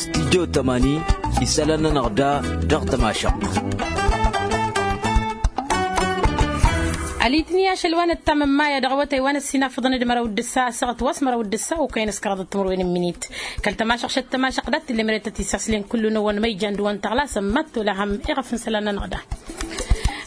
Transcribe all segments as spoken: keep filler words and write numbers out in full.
Stidyo tămani isălan-nănăɣ da dăɣ-tămašăɣt. Alitni ašăl wa n-ǝttam n-maya dăɣ-awătay wa n-ăssinafăḍăn d-măraw d-ǝssa asăɣăt wa s-măraw d-ǝssa okăyăn s-kăraḍăt timǝrwen n-minit. Kăl-tămašăɣ šăt tămašăɣ dat-t lemret ad-t-isaslen kullu n-ewăn măyjan d-ewăn tăɣlasăn mad-tolahăm iɣăf n-isălan-nănăɣ da.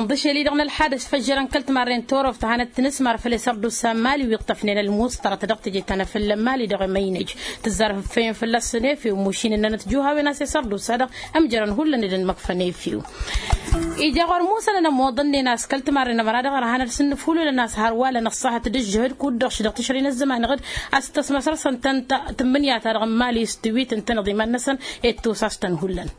Ǝnḍǝšel-i-dăɣ n-ălxad ăsfăžžărăn kăl-timarre n-toroft a hanăt-tǝnǝsmar făll-esăr d-usa n-mali wi ǝṭṭăfnen ălmuṣṭărăt dăɣ-teje ta n-afălla n-mali dăɣ-emăynăj. Tǝzzar făffăyăn fălla-săn efew mušin ǝnnănăt juhawen a-s esăr d-usa-dăɣ ămjărăn hullan d-ănmăkfăn efew. Ija ɣur-musănăn ămoḍănnen a-s kăl-timarre n-ămăra dăɣ-ărhan ad-sǝnnǝfhululăn a-s hărwalăn ăṣṣahăt d-ǝžžǝhǝd kud-dăɣ šidăɣ tišrăy n-ăzzăman iɣǝd a-s tǝsmăsăr-săn tăn-ta tǝmmǝnǝya-ta-dăɣ n-mali s-tiwit ǝntăneḍ iman-năsăn. Ed tusas-tăn hullan.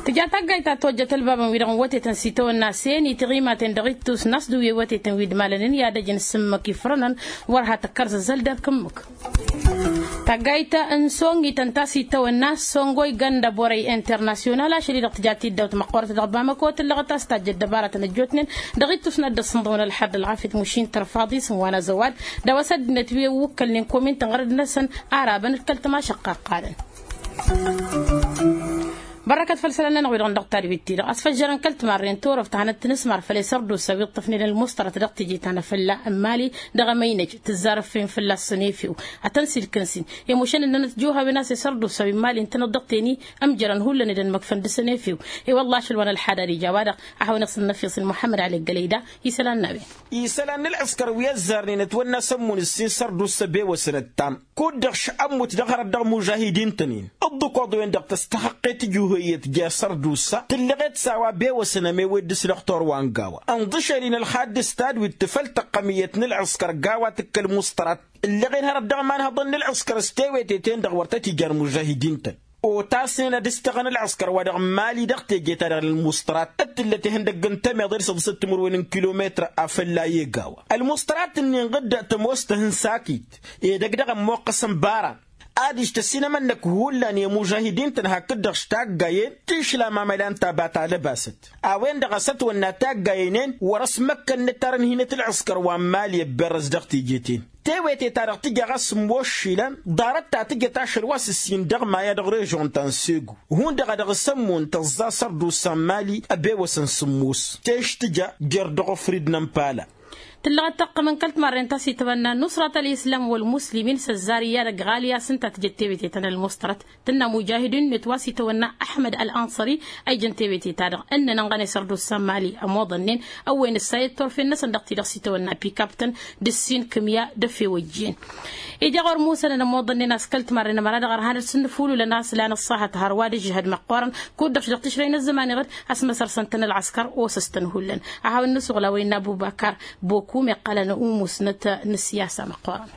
Tǝja taggayt ta tojjăt ălbabăn-wi-dăɣ n-wătetăn s-itawănna s-enǝy tiɣimaten dăɣ-ittus n-a-s d-uyyăy wătetăn wi d-malănen i-ad-ăj n-sǝmmǝk ifrănăn. Wăr ha tǝkkăr zăzzăl d-ad-kǝmmǝk. Taggayt n-songităn ta s-itawănna s-songoy gănda borăy internasyonal ašăl-i-dăɣ tǝja tiddawt măqqoorăt dăɣ-bamăko tǝllăɣăt a-s tajjăt dăbaratăn ăjjootnen. Dăɣ-ittus n-ad-dd-ăssǝnḍăwăn ălxad ălɣafyăt mušin tărfaḍ isǝm wa n-azăwad d-awăs ăddinăt wi ăwwǝkkălnen komintăn ɣărăd-năsăn. Arabăn d-kăl-tămašăqqaqqalăn. Bărrăkăt făll-isălan-nănăɣ-wi-dăɣ n-dăɣ-tadwit-ti-dăɣ a-s făžžărăn kăl-timarre n-toroft a hanăt-tǝnǝsmar făll-esăr d-usa wi ǝṭṭăfnen ălmuṣṭărăt dăɣ-teje ta n-afălla n-mali. Dăɣ-emăynăj tǝzzar ǝffin fălla-săn efew ad-tăn-silkǝnsin. I-mušăn ǝnnănăt juhawen a-s esăr d-usa wi n-mali ǝntăneḍ dăɣ-teni ămjărăn hullan ed ănmăkfăn dăɣ-săn efew. I-wălla ašăl wa n-ălxad ad-ija a-wa-dăɣ a hawăn-iɣsǝn n-efyăẓ n-muḥămmăd ali ăggălăy da isălan n-a-wen. Isălan n-ălɣǝskăr wi ăzzarnen ătwănna s-ămmun ǝssin săr d-usa ăbewăsăn ăttam. Kud-dăɣ š-ămmut dăɣ-hărăt dăɣ-imužahidin-tăn-in ǝḍḍǝkoḍ-wen-dăɣ tăstăhăqqet tijuhăyyăt jer-săr d-usa tǝllăɣet s-a-wa ăbewăsăn ămewet dăɣ-s dăɣ-torwa n-gawa. Ǝnḍǝšel-in ălxadd s-tadwit tǝfăl tăqqămǝyyăt n-ǝlɣǝskăr gawa tǝkk ălmuṣṭărat. Ǝllăɣen hărăt dăɣ-imanhăḍăn n-ǝlɣǝskăr s-teweteten-dăɣ wăr tăt-ijan imužahidin-tăn. Otasnen ad-ǝstăɣăn ǝlɣǝskăr-wa-dăɣ n-mali dăɣ-teje-ta-dăɣ n-ălmuṣṭărat d-tǝllăt ihăndăgg n-tămeḍe d-săḍǝsăt timǝrwen n-kilometr afălla i-egawa. Ălmuṣṭărat-ǝnnin ɣǝdda tămoos tăhǝn sakit edăgg dăɣ-ămmoqqăsăn bara. Adiš tăsinămănnăk hullan i-imužahidin-tăn hakd-dăɣ š-taggayen tišlam amăla n-ta ba talăbasăt. A-wen-dăɣ a-s ătwănna taggayen-en wăr-ăsmăkkănnăt arǝnhinăt ǝlɣǝskăr wa n-mali ăbberrăz dăɣ-teje-ten. Tewete-ta-dăɣ tǝja ɣas ǝmmoššilăn ḍarăt ta tǝjăt ašăl wa s-ǝssin dăɣ-maya dăɣ-režon ta n-segu. Hundăɣ a dăɣ-s ămmun tăẓẓa săr d-usa n-mali ăbewăsăn sǝmmos. Teš tǝja jer-dăɣ ofrid n-ămpala. Tǝllăɣăt taqqămăn kăl-timarren ta s-itawănna nusrat ălislam wăl-muslimin s-ăzzar i-ad-ăgg ɣali a-s ǝnta a tǝjăt tewete-tăn ălmuṣṭărăt. Tǝnna mujahidunet wa s-itawănna ăḥmăd ălanṣări a ijăn tewete-ta-dăɣ ǝnnăn ănɣăne săr d-ussa n-mali ămoḍănnen. Ăwwen ǝssayăt turfen-năsăn dăɣ-ti-dăɣ s-itawănna pikaptăn d-ǝssin kǝmya d-efew ăjjeen. Ija ɣur-musănăn ămoḍănnen a-s kăl-timarren ămăra dăɣ-ărhan d-sǝnnǝfululăn a-s lan ǝṣṣahăt hărwa d-ǝžžăhăd măqqoorăn. Kud-dăɣ š-dăɣ tǝšrăy n-ăzzăman iɣǝd a-s măsărsăn-tăn ălɣăskăr osăs-tăn hullan. A hawăn-nǝsuɣǝl a-wa innă ăbubakar bokum iqqălăn umusnăt n-ǝssiyasa măqqoorăn.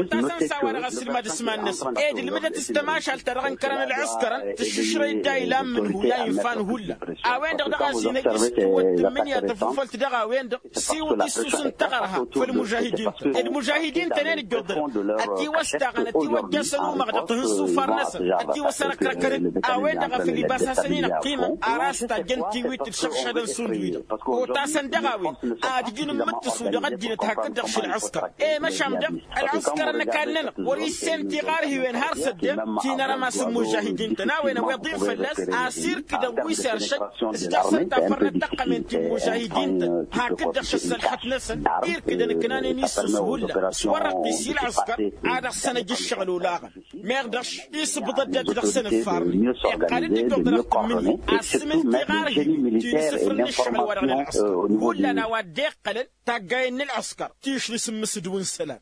Otasăn s-a-wa-dăɣ ăssilmad s-iman-năsăn ed ǝlmǝdăt s-tămašalt ta dăɣ-ǝnkărăn ǝlɣǝskărăn tǝššǝšrăy-dd a ilan mǝnhu i-a-infa n-hullan. A-wen-dăɣ daɣ a-s inhăjj s-tiwǝt tǝmmǝnǝya tăfufălt dăɣ-a-wen-dăɣ s-iwǝt issus n-taɣărha făll-mužahidin-tăn ed mužahidin-tăn-en ǝjjoḍălăn. Ătiwăstaɣăn ătiwăjjăn s-ănumăɣ dăɣ-tihǝnsufa-năsăn ătiwăsărăkrăkăn-dd. A-wen-dăɣ a făl ibas hasăn-in-ăqqimăn ar a-s tajjăn tiwit d-išăršădăn s-undǝwi-dăɣ. Otasăn dăɣ-a-wen ad-ǝjǝn n-imǝttǝsu dăɣ-ăddinăt hakd-dăɣ šăl ăskăr. E măšan dăɣ-ălɣǝskăr n-ăkall-nănăɣ wăr-issen tiɣarhiwen har s-ăddem ti n-arămas n-imužahidin-tăn a-wen a-wa iḍǝn fălla-s. Asirkǝdăn wi s-eršăk s-dăɣ-săn tafărnăt taqqămen ti n-imužahidin-tăn hakd-dăɣ šăssălxăt-năsăn. Irkǝdăn ǝknanen isǝs hullan s-wăr-ăqqis i-ălɣǝskăr. A dăɣ-săn ăj ǝššăɣǝl olaɣăn. Meɣ dăɣ-š isǝbḍăt dat-dăɣ s-ănǝffarnen. Iqqal-dd ijjuḍ dăɣ-tǝmmǝnǝya asǝmǝl tiɣarhiwen ti n-isǝfrǝn n-ǝššăɣǝl-wa-dăɣ n-ălɣǝskăr. Hullan a-wa dd-iqqălăn taggayen n-ălɣǝskăr ti š-nǝsǝmmǝs d-wǝnsălan.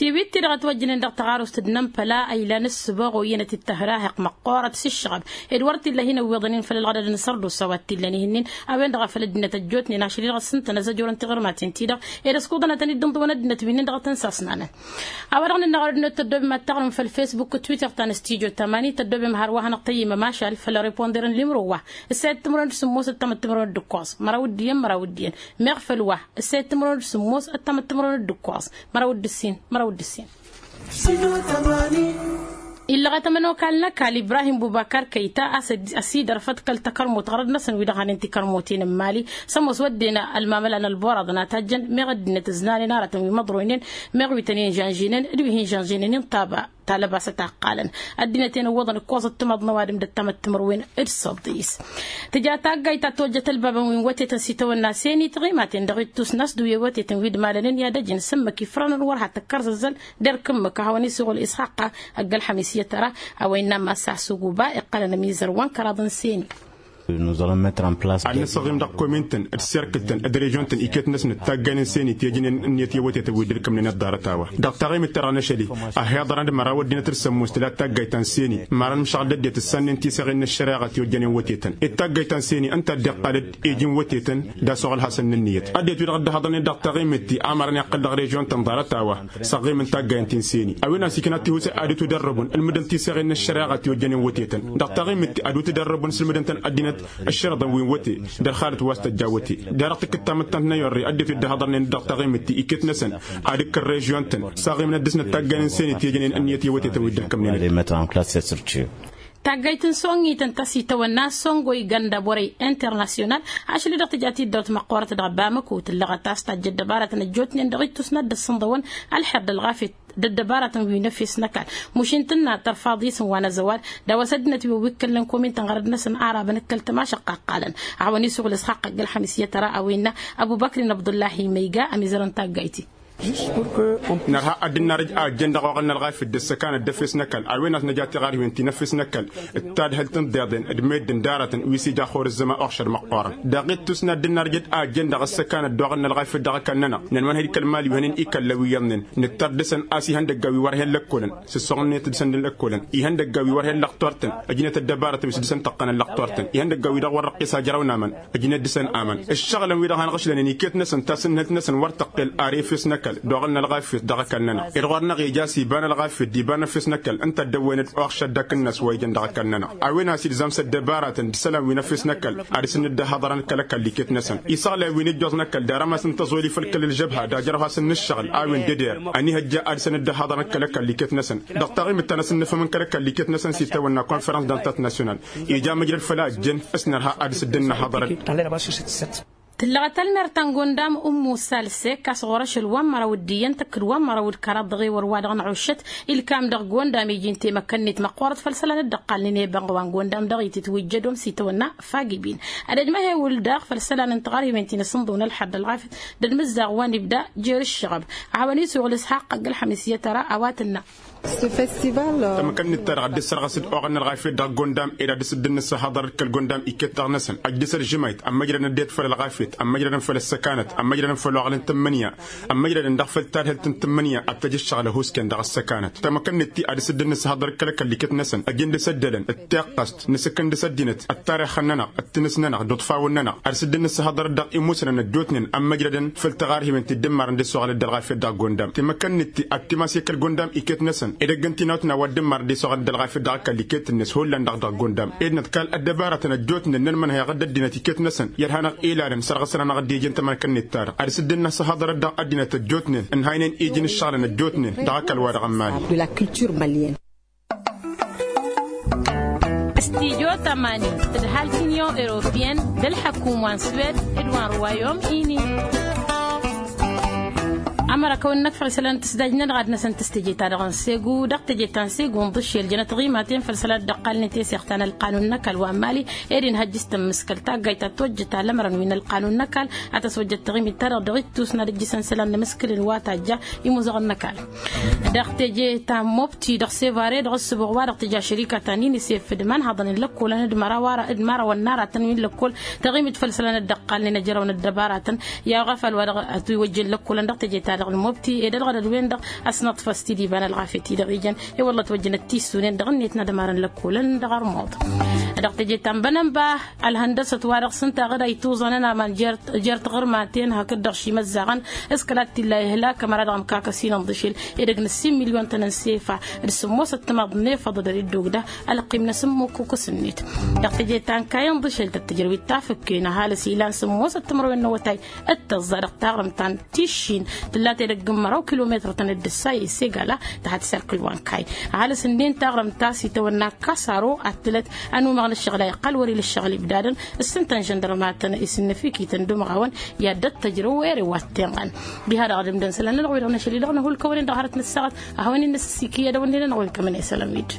Tiwit-ti-dăɣ ătwăjjănen dăɣ-taɣarust d-inămpăla a ilan ǝssǝboɣ oyyănăt-dd tăhrahăq măqqoorăt s-ǝššăɣăb ed wăr t-illa hin-ăwwiḍăn-in făll-ălɣădăd n-sărdusa wa t-illăn ihǝnnin. A-wen-dăɣ a făl ăddinăt ăjjootnen ašăl-i-dăɣ ăssintăn azăjorăn tiɣǝrmaten-ti-dăɣ ed ăskuḍănătăn-dd ǝnḍǝwăn ăddinăt wi-nin-dăɣ a tăn-sasnanăn. A-wa-dăɣ nǝnna ɣur-ăddinăt tăddobem ad-taɣrǝm făll-fesbuk d-twitter ta n-studyo tamani tăddobem hărwa hanăɣ-tăyyǝm ămašal făll-reponder n-limro wa. Ǝssayăt timǝrwen d-sǝmmos ăttamăt timǝrwen d-ǝkkoẓ măraw d-iyyăn măraw d-iyyăn. Meɣ făll-wa ǝssayăt timǝrwen d-sǝmmos ăttamăt timǝrwen d-ǝkkoẓ măraw d-ǝssin măraw d-ǝssin. Illăɣăt ămănokal n-ăkall ibrahim bubakar kăyta a-s ăsidărfăt kăl-takărmut ɣărăd-năsăn wi-dăɣ hanen tikărmutin n-imali. S-ămoos wădden ălmamăla n-ălborăḍ n-atajjăn meɣ ăddinăt ǝznanen aratăn wi măḍroynen meɣ wi tăn-inžănžinen d-wi hin-žănžinen inṭaba talăbasăt a ǝqqalăn ăddinăt-en ǝwwăḍăn ǝkkoẓăt timaḍ n-ăwadǝm d-ăttamăttămărwen d-săḍis. Tǝja taggayt ta tojjăt ălbabăn wi n-wătetăn s-itawănna seni tiɣimaten dăɣ-ittus n-a-s d-wi wătetăn wi d-malănen i-ad-ăjǝn s-ǝmmǝk ifrănăn wăr ha tăkkărzăzzăl. D-erk ǝmmǝk a hawăn-isuɣǝl isxaqqa ăgg-ălxămis i-tăra a-wa innă massa s-uguba iqqălăn ămizăr wa n-kăraḍ n-seni. Ad-nǝsăɣim dăɣ-komin-tăn d-serkǝl-tăn d-režion-tăn iket-năsnăt taggay n-seni ti ăjnen ǝnniyăt i-wătetăn wi dd-ǝlkămnen ăḍḍarăt a-wa dăɣ-taɣimit-ta-dăɣ n-ašăl-i. Ăhiḍărăn d-măraw ăddinăt d-sămmos tǝla taggayt ta n-seni măran mǝšɣăl d-ăddinăt ǝssannen tiseɣen n-ăššăreɣa ti ojjănen wătetăn ed taggayt ta n-seni ǝnta a dd-iqqal d-iji n-wătetăn. D-asoɣăl hasăn n-ǝnniyăt ăddinăt wi-dăɣ dd-ăhhăḍnen dăɣ-taɣimit-ti amărăn iqqăl dăɣ-režion-tăn ḍarăt a-wa. Săɣɣim n-taggay n-ti n-seni a-wen a-s ikna tihusa ad-dd-tudărrăbun ǝlmǝdăn tiseɣen n-ăššăreɣa ti ojjănen wătetăn. Dăɣ-taɣimit-ti ad-dd-tudărrăbun s-ǝlmǝdăn-tăn ăddinăt ăššărăḍăn wi n-wăte. D-ărxalăt wa s-tăjja wăte. Derăɣ tǝkkǝd tamǝttant n-ayorre ăddinăt wi dd-ăhhăḍărnen dăɣ-taɣimit-ti iket-năsăn ad-ǝkkǝl režion-tăn. Săɣɣimnăt dăɣ-snăt taggay n-seni ti ojjănen ǝnniyăt i-wătetăn wi dd-ǝlkămnen. Taggayt n-songităn ta s-itawănna songoy ganda borăy internasyonal. Ašăl-i-dăɣ tǝja tiddawt măqqoorăt dăɣ-bamăko tǝllăɣăt a-s tajj ăddăbaratăn ăjjootnen dăɣ-ittus n-ad-dd-ăssǝnḍăwăn ălxer d-ălɣafyăt d-ăddăbaratăn wi n-efes n-ăkall. Mušin tǝnna tărfaḍ isǝm wa n-azăwal d-a-wa s-ăddinăt wi ăwwikkălnen komin-tăn ɣărăd-năsăn arabăn ǝkkăl tămašăqqa ăqqalăn. Ad-hawăn-isuɣǝl isxaqq ăgg-ălxămis i-tăra a-wa innă ăbubăkrin abdullahi măyga ămizărăn taggayt-i. Nărha ad-dd-narǝj a ăjjăn dăɣ-oɣăl n-ălɣafyăt d-ăssăkanăt d-efes n-ăkall a-wen a-s nǝja tiɣarhiwen ti n-efes n-ăkall d-tadhǝlt n-iḍeḍen d-meddǝn d-aratăn wi s-ija xor ǝzzăma uɣšăd măqqoorăn. Dăɣ-ittus n-ad-dd-narǝj a ăjjăn dăɣ-ăssăkanăt d-oɣăl n-ălɣafyăt dăɣ-ăkall-nănăɣ n-ănwănhăj kăl-imali wi hănen ikălla wi iyyăḍnen. Nǝttăr dăɣ-săn a-s ihăndăgga wi wăr hen lăkkolăn s-ǝssoɣăn-net dăɣ-săn d-lăkkolăn ihăndăgga wi wăr hen lăqtor-tăn. Ǝjnet ăddăbarătăn wi s-dăɣ-săn tăqqănăn lăqtor-tăn ihăndăgga wi-dăɣ wăr răqqis ajrăw n-aman. Ǝjnet dăɣ-săn aman ǝššăɣǝlăn wi-dăɣ hanăɣ-ǝšlănen iket-năsăn tasǝnhǝlt-năsăn wăr tăqqel ar efes n-ăkall d-oɣăl n-ălɣafyăt dăɣ-ăkall-nănăɣ. Ed ɣur-năɣ ija a-s iba n-ălɣafyăt d-iba n-efes n-ăkall ǝnta a dd-ăwwăynăd oɣšăt d-akǝnnas wa ijăn dăɣ-ăkall-nănăɣ. A-wen a-s ilzam s-ăddăbaratăn d-isălan wi n-efes n-ăkall ad-dăr-săn dd-ăhhăḍărăn kăl-ăkall iket-năsăn isăɣlay wi n-ijjoẓ n-ăkall d-arămas n-tăẓoli făll-kăl-ălžăbha d-ajrăw hasăn-nǝššăɣǝl a-wen d-eder. Ăniihăjja ad-dăr-săn dd-ăhhăḍărăn kăl-ăkall iket-năsăn. Dăɣ-taɣimǝt ta n-asǝnnǝfăm n-kăl-ăkall iket-năsăn s-itawănna konferăns d-antat nasyonal ija măjrăd făll-a ăjjăn. S-nărha ad-dăr-s dd-nǝhhăḍărăd. Tǝllăɣăt ălmer ta n-gondam ǝmmu salsek a-s ɣur-ašăl wa n-măraw d-iyyăn tăkk-dd wa n-măraw d-kăraḍ dăɣ-ewăr wa-dăɣ n-ăɣuššăt. Ilkam dăɣ-gondam iji n-temăkkănnit măqqoorăt făll-isălan dd-ăqqalnen i-ibănɣ wa n-gondam dăɣ-itǝtwǝjjădom s-itawănna fagibin. Ad-ăjmăhewǝl daɣ făll-isălan n-tiɣărhiwen ti n-asǝnḍǝw n-ălxer d-ălɣafyăt d-ălmǝzzaɣ wa n-ibda jer-ǝššăɣăb. Ad-hawăn-isuɣǝl isxaqq ăgg-ălxămis i-tăra a-wa tǝnna. Tamăkănnit-ta-dăɣ a dd-issărɣǝs-dd oɣăl n-ălɣafyăt dăɣ-gondam ed ad-dăr-s dd-nǝssăhăḍărăd kăl-gondam iket-dăɣ-năsăn ăjdǝs ălžǝmayt ămmăjrădăn det făll-ălɣafyăt ămmăjrădăn făll-ăssăkanăt ămmăjrădăn făll-oɣăl n-tǝmmǝnǝya. Ămmăjrădăn dăɣ-făll-tadhǝlt n-tǝmmǝnǝya ad-tăj ǝššăɣǝl ăhuusken dăɣ-ăssăkanăt tamăkănnit-ti ad-dăr-s dd-nǝssăhăḍărăd kăl-ăkall iket-năsăn ăj n-dăr-s ăddălăn d-tiqqăst n-asǝkkǝn dăr-s ăddinăt ăttarixăn-nănăɣ d-tinǝs-nănăɣ d-iḍfawăn-nănăɣ ad-dăr-s dd-nǝssăhăḍărăd dăɣ-imusnăn ăjjootnen ămmăjrădăn făll-tiɣarhiwen ti dd-ǝmmarăn d-isoɣălăt d-ălɣafyăt dăɣ-gondam tamăkănnit-ti ad-timas i-kăl-gondam iket-năsăn ed ăgg n-tinawt n-a-wa dd-ǝmmarăn d-isoɣălăt d-ălɣafyăt dăɣ-ăkall iket-net hullan-dăɣ dăɣ-gondam ed năḍkal ăddăbarătăn ăjjootnen n-ănmănhăyăɣ-dd ăddinăt iket-năsăn i-ad-hanăɣ-ilalăn sărɣǝsăn-anăɣ-dd ijăn tamăkănnit-ta-dăɣ ad-dăr-s dd-nǝssăhăḍărăd dăɣ-ăddinăt ăjjootnen ǝnhaynen iji n-ǝššăɣǝlăn ăjjootnen dăɣ-ăkall-wa-dăɣ n-imali. Studyo tămani tǝdhal t-inyon europiyăn d-ălḥăkum wa n-swed d-wa n-ruwayom ini. Ămăra kăwăn-năkfăɣ isălan n-tǝsdaj-nănăɣ ad-năsăn tǝstăje-ta-dăɣ n-segu dăɣ-teje ta n-segu n-ḍǝšel jănăt ɣimaten făll-isălan dd-ăqqalnen teseɣt ta n-ălqanun n-ăkall wa n-mali. Ed inhăjj s-tămmǝskăl taggayt ta tojjăt alămărăn wi n-ălqanun n-ăkall ad-tăswăjjăt taɣimit-ta-dăɣ dăɣ-ittus n-ad-ǝjjǝsăn isălan n-emǝskǝl-in wa tajja imuzăɣăn n-ăkall. Dăɣ-teje ta n-mobti dăɣ-sevare dăɣ-ǝssǝbuɣ wa-dăɣ tǝja šărika ta n-inisef d-imanhăḍăn n-lăkkolăn d-măraw ara d-mărawăn n-aratăn wi n-lăkkol taɣimit făll-isălan dd-ăqqalnen ăjrăwăn ăddăbaratăn. I-aɣăfal wa dăɣ-ătwăjjăn lăkkolăn dăɣ-teje-ta-dăɣ n-mobti ed ălɣădăd-wen-dăɣ ăsnăḍfăs tidǝba n-ălɣafyăt-i-dăɣ ijăn i-wălla ătwăjjăn d-tissunen dăɣ-ǝnniyăt n-ad-ămarăn lăkkolăn dăɣ-armuḍ. Dăɣ-teje ta n-bănănba ălhăndăsăt wa dăɣ-s ǝnta ɣǝd a ituẓănăn aman jer-tiɣǝrmaten hakd-dăɣ šimăzzaɣăn s-kăla t-illa ihlak ămăra dăɣ-ămkakăs-in ǝnḍǝšel edăgg n-ǝssin milyon-tăn n-sefa d-sǝmmosăt timaḍ n-efăḍ d-ăridduwǝgda. Ălqim-năs ǝmmǝk ukǝs-net dăɣ-teje ta n-kayăn ḍǝšel tăt-tǝjrăw d-tafǝkken ăhalǝs ilan sǝmmosăt timărwen n-awătay d-tăẓẓa dăɣ-taɣrǝmt ta n-tiššin. dat-edăgg n-măraw kilometăr-tăn dd-ǝssa i-segala tăhat serkǝl wa n-kayy. Ăhalǝs ǝndin taɣrǝmt ta s-itawănna kasaro ad-tǝlăt ănumăɣ n-ǝššăɣǝl a iqqăl wăr-ila ǝššăɣǝl ibdadăn s-ǝntăn žăndărmatăn isǝnnăfikităn d-umăɣawăn i-ad-dd-tăjrăw ere wa t-tenɣăn. Diha-dăɣ d-ǝmdăn isălan-nănăɣ wi-dăɣ n-ašăl-i-dăɣ nǝhulkăwăn-in dăɣ-hărăt n-ăssaɣăt a hawăn-in-nǝsǝssikǝy i-ad-ăwănne-nănăɣ welcămăn isălan-wi-dd.